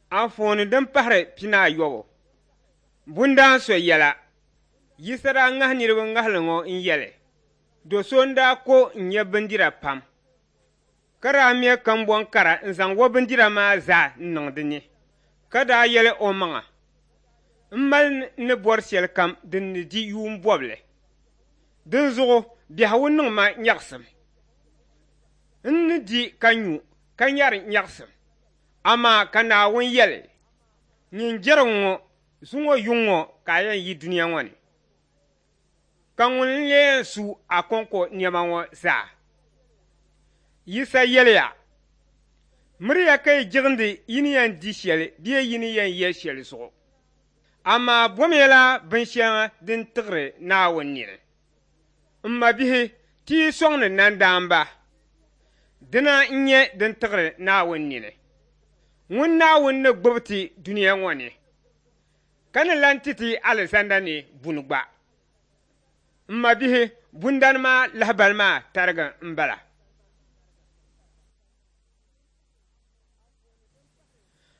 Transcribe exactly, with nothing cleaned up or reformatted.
Anfooni din pahiri pinaayɔbu. Bundaan so yɛla. Yisa daa ŋahi niriba ŋahili ŋɔ n-yɛli, do so n-daa ko n-nya bindira pam, ka daa me kambɔŋ kara n-zaŋ o bindira maa zaa n-niŋ di ni, ka daa yɛli omaŋa, m mali n ni bɔri shɛlikam din ni di yuun bɔbili. Dinzuɣu biɛhigu niŋ ma nyaɣisim. N ni di ka nyu ka nyari nyaɣisim. Amaa ka Naawuni yɛli, nyin jɛrigu ŋɔ, zuŋɔ yuŋ ŋɔ ka a yɛn yi dunia ŋɔ ni. Ka ŋuni n-lee yɛn su a kɔŋko nɛma ŋɔ zaa? Yisa yɛliya, miriya ka yi jiɣindi yi ni yɛn di shɛli bee yi ni yɛn ye shɛli zuɣu. Amaa bomiyala binshɛŋa din tiɣiri Naawuni nini. M mabihi, ti yi sɔŋdi nandaamba, dina n-nyɛ din tiɣiri Naawuni nini. Ŋun Naawuni ni gbubi ti dunia ŋɔ ni, ka ni lan ti ti alizanda ni buni gba. M mabihi, bundani maa lahibali maa tarigi m-bala.